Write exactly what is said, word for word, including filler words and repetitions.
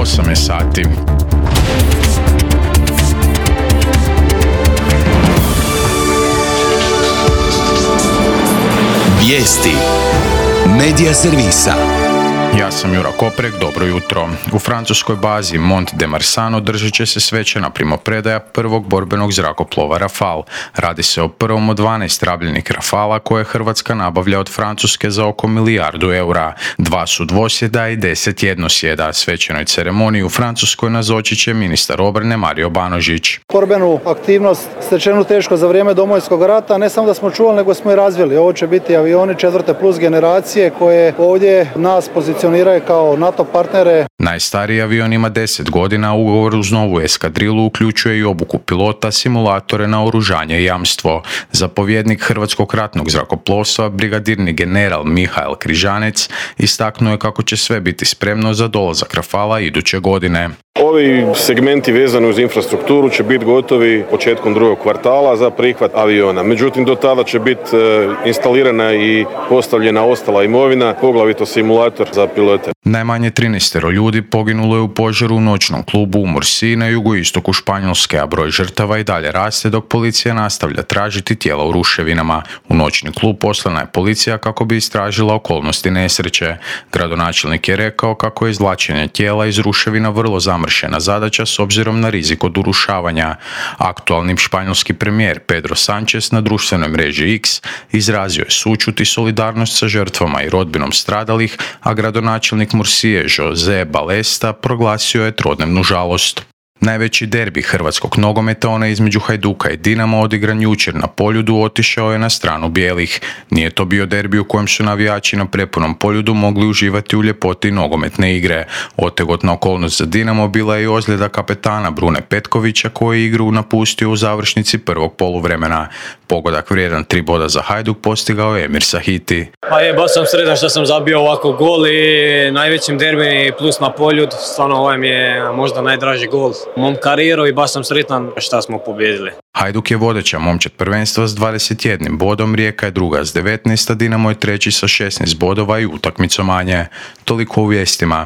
osam je sati. Vijesti Medija servisa. Ja sam Jura Koprek, dobro jutro. U francuskoj bazi Mont de Marsan održat će se svečana primopredaja prvog borbenog zrakoplova Rafale. Radi se o prvom od dvanaest rabljenih Rafala koje Hrvatska nabavlja od Francuske za oko milijardu eura. Dva su dvosjeda i deset jednosjeda. Svečanoj ceremoniji u Francuskoj nazočit će ministar obrane Mario Banožić. Borbenu aktivnost stečenu teško za vrijeme Domovinskog rata, ne samo da smo čuvali, nego smo i razvili. Ovo će biti avioni četvrte plus generacije koje ovdje nas pozicioniraju kao NATO partnere. Najstariji avion ima deset godina, a ugovor uz novu eskadrilu uključuje i obuku pilota, simulatore, naoružanje i jamstvo. Zapovjednik Hrvatskog ratnog zrakoplovstva, brigadirni general Mihael Križanec, istaknuo je kako će sve biti spremno za dolazak Rafala iduće godine. Ovi segmenti vezani uz infrastrukturu će biti gotovi početkom drugog kvartala za prihvat aviona. Međutim, do tada će biti instalirana i postavljena ostala imovina, poglavito simulator za pilote. Najmanje trinaest ljudi poginulo je u požaru u noćnom klubu u Mursi na jugoistoku Španjolske, a broj žrtava i dalje raste dok policija nastavlja tražiti tijela u ruševinama. U noćni klub poslana je policija kako bi istražila okolnosti nesreće. Gradonačelnik je rekao kako je izvlačenje tijela iz ruševina vrlo zamršena zadaća s obzirom na rizik od urušavanja. Aktualni španjolski premijer Pedro Sánchez na društvenoj mreži X izrazio je sućut i solidarnost sa žrtvama i rodbinom stradalih, a gradonačelnik Mursije José Balesta proglasio je trodnevnu žalost. Najveći derbi hrvatskog nogometa, onaj između Hajduka i Dinama, odigran jučer na Poljudu, otišao je na stranu bijelih. Nije to bio derbi u kojem su navijači na prepunom Poljudu mogli uživati u ljepoti nogometne igre. Otegotna okolnost za Dinamo bila je i ozljeda kapetana Brune Petkovića koji je igru napustio u završnici prvog poluvremena. Pogodak vrijedan tri boda za Hajduk postigao je Emir Sahiti. Pa je, baš sam sretan što sam zabio ovako gol i najvećim derbi plus na Poljud. Stvarno ovaj mi je možda najdraži gol u mom karijeru i baš sam sretan što smo pobijedili. Hajduk je vodeća momčad prvenstva s dvadeset jednim bodom, Rijeka je druga s devetnaest, a Dinamo je treći sa šesnaest bodova i utakmicu manje. Toliko u vijestima.